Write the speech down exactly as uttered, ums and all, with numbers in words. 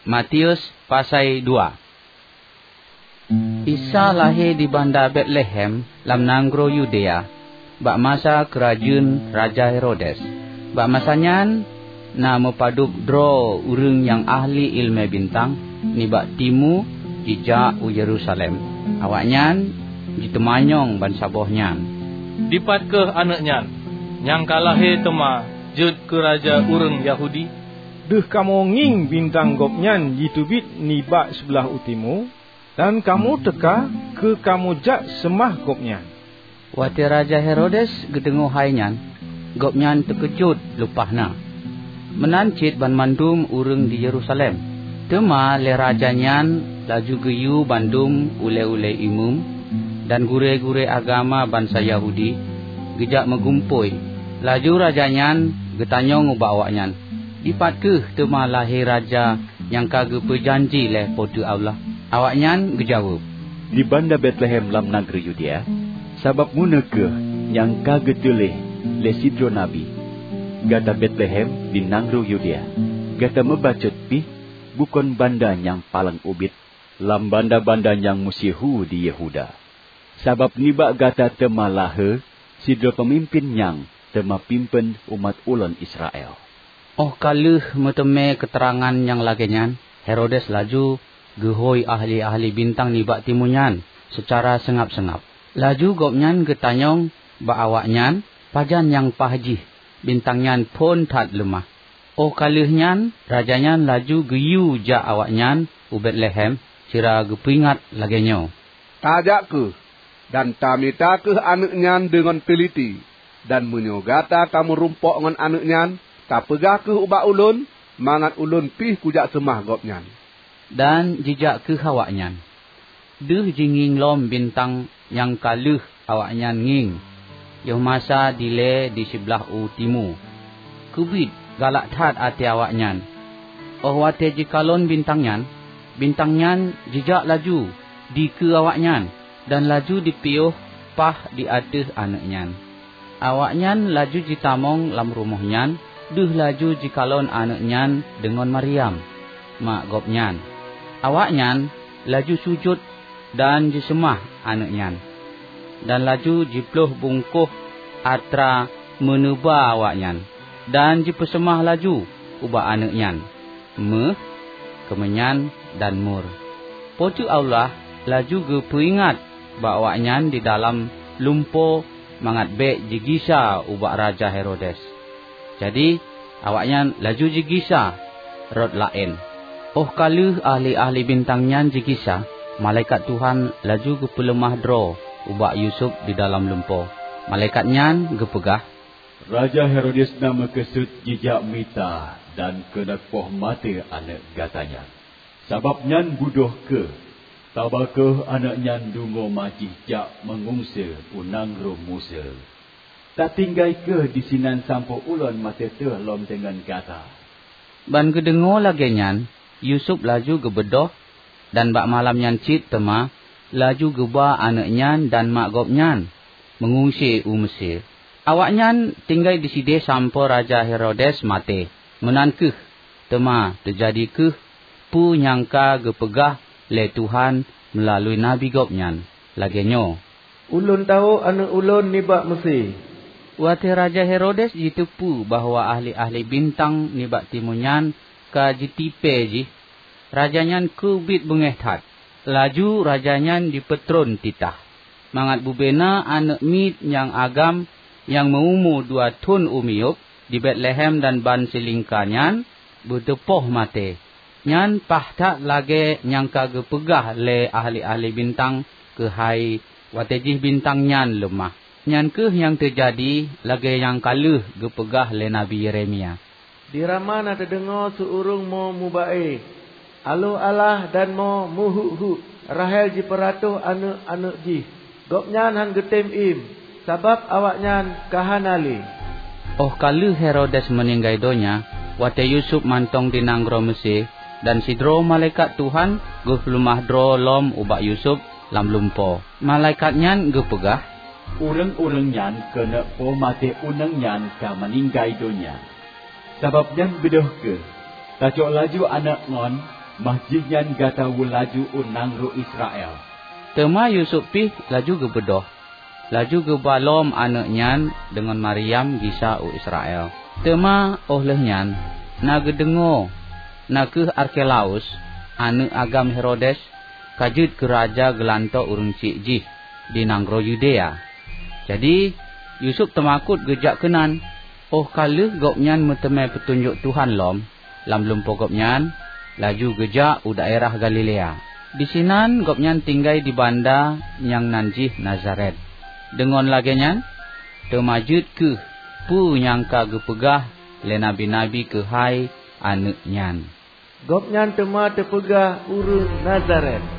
Matius pasai dua. Isa lahé di banda Betlehem lam nanggroe Yudea, bak masa keurajeuen Raja Herodes. Bak masa nyan na meupadub droe ureuëng nyang ahli iéleumé bintang nibak timu jijak u Yerusalem. Awaknyan jiteumanyong bansaboh nyan, "Dipat kheueh aneuëk nyan, nyang ka lahé teuma jeuet keu raja ureuëng Yahudi? Deuh kamoe ngieng bintang gobnyan jiteubiet nibak seublah u timu, dan kamoe teuka keu kamoe jak seumah gobnyan." Watée Raja Herodes geudeungoe hai nyan, gobnyan teukeujot lumpah na. Meunan cit banmandum ureuëng di Yerusalem. Teuma lé raja nyan laju geuyue bandum ulée-ulée imeum dan gurée-gurée agama bansa Yahudi geujak meugumpôi. Laju raja nyan geutanyong ubak awaknyan, "Dipat kheueh teuma lahé raja nyang ka geupeujanji lé Po teu Allah?" Awaknyan geujaweueb, "Di banda Betlehem lam nanggroe Yudea, sabab meunoe kheueh nyang ka geuteuléh lé sidroe nabi, 'Gata Betlehem di nanggroe Yudea, gata meubacut pih bukon banda nyang paleng ubit lam banda-banda nyang meusyeuhu di Yehuda, sabab nibak gata teuma lahé sidroe peumimpén nyang teuma pimpén umat ulôn Israel.'" Óh ka lheueh meuteumé keuteurangan nyang lagée nyan, Herodes laju geuhôi ahli-ahli bintang nibak timu nyan seucara seungab-seungab. Laju gobnyan geutanyong bak awaknyan pajan nyang paih jih bintang nyan phon that leumah. Óh ka lheueh nyan, raja nyan laju geuyue jak awaknyan u Betlehem sira geupeuingat lagée nyoe, "Tajak kheueh, dan tamita kheueh aneuëk nyan deungon teuliti, dan meunyoe gata ka meurumpok ngon aneuëk nyan, tapeugah kheueh ubak ulôn, mangat ulôn pih kujak seumah gobnyan." Dan jijak kheueh awaknyan. Deuh jingieng lom bintang nyang ka lheueh awaknyan ngieng, yoh masa dilée di siblaih u timu. Keubiet galak that até awaknyan. Óh watée jikalon bintang nyan, bintang nyan jijak laju dikeue awaknyan dan laju jipiôh paih di ateueh aneuëk nyan. Awaknyan laju jitamong lam rumoh nyan, deuh laju jikalon aneuëk nyan deungon Maryam, mak gobnyan. Awaknyan laju sujut dan jiseumah aneuëk nyan, dan laju jiploh bungkôh atra meuneuba awaknyan, dan jipeuseumah laju ubak aneuëk nyan méuh, keumeunyan, dan mur. Po teu Allah laju geupeuingat bak awaknyan di dalam lumpo mangat bék jigisa ubak Raja Herodes. Jadi, awaknyan laju jigisa rot laén. Óh ka lheueh ahli-ahli bintang nyan jigisa, malaikat Tuhan laju geupeuleumah droe ubak Yusuf di dalam lumpo. Malaikat nyan geupeugah, "Raja Herodes na meukeusut jijak mita dan keuneuk poh maté aneuëk gata nyan. Sabab nyan beudôh kheueh, taba kheueh aneuëk nyan deungoe ma jih jak meungungse u nanggroe Mesir. Tatinggai kheueh disinan sampoe ulôn maté teuh lom deungon gata." Ban geudeungoe lagée nyan, Yusuf laju geubeudôh, dan bak malam nyan cit teuma laju geuba aneuëk nyan dan mak gobnyan meungungse u Mesir. Awaknyan tinggai disideh sampoe Raja Herodes maté. Meunan kheueh teuma teujadi kheueh peue nyang ka geupeugah lé Tuhan meulalu nabi gobnyan, lagée nyoe, "Ulôn tawök aneuëk ulôn nibak Mesir." Watée Raja Herodes jiteupeue bahwa ahli-ahli bintang nibak timu nyan ka jitipée jih, raja nyan keubiet beungéh that. Laju raja nyan jipeutron titah, mangat bubena aneuëk miet nyang agam nyang meu-umu dua thon u miyueb di Betlehem dan ban silingka nyan beuteupoh maté. Nyan paih that lagée nyang ka geupeugah lé ahli-ahli bintang keuhai watée jih bintang nyan leumah. Nyan kheueh nyang teujadi lagée nyang ka lheueh geupeugah lé Nabi Yeremia, "Di Rama na teudeungoe su ureuëng mo muba-e, 'Aloh alah dan mo muhuk-huk.' Rahel jipeuratoh aneuëk-aneuëk jih. Gobnyan hán geutem iem, sabab awaknyan ka hana lé." Óh ka lheueh Herodes meuninggai donya, watée Yusuf mantong di nanggroe Meusé, dan sidroe malaikat Tuhan geupeuleumah droe lom ubak Yusuf lam lumpo. Malaikat nyan geupeugah, "Ureuëng-ureuëng nyang keuneuk po maté u nanggroe nyan ka meuninggai donya. Sabab nyan beudôh kheueh, tacok laju aneuëk ngon Bah jih nyan gata woe laju u nanggroe Israel." Teuma Yusuf pih laju geubeudôh, laju geuba lom aneuëk nyan deungon Maryam gisa u Israel. Teuma óh lheueh nyan na geudeungoe, na kheueh Arkelaus, aneuëk agam Herodes, ka jeuet keu raja geulantoe ureuëng chik jih di nanggroe Yudea. Jadi, Yusuf teumakot geujak keunan. Óh ka lheueh gobnyan meuteumé peutunjok Tuhan lom lam lumpoe gobnyan, laju geujak u daerah Galilea. Disinan gobnyan tinggai di banda nyang nan jih Nazaret. Deungon lagée nyan, teuma jeuet kheueh peue nyang ka geupeugah lé nabi-nabi keuhai aneuëk nyan. "Gobnyan teuma teupeugah ureuëng Nazaret."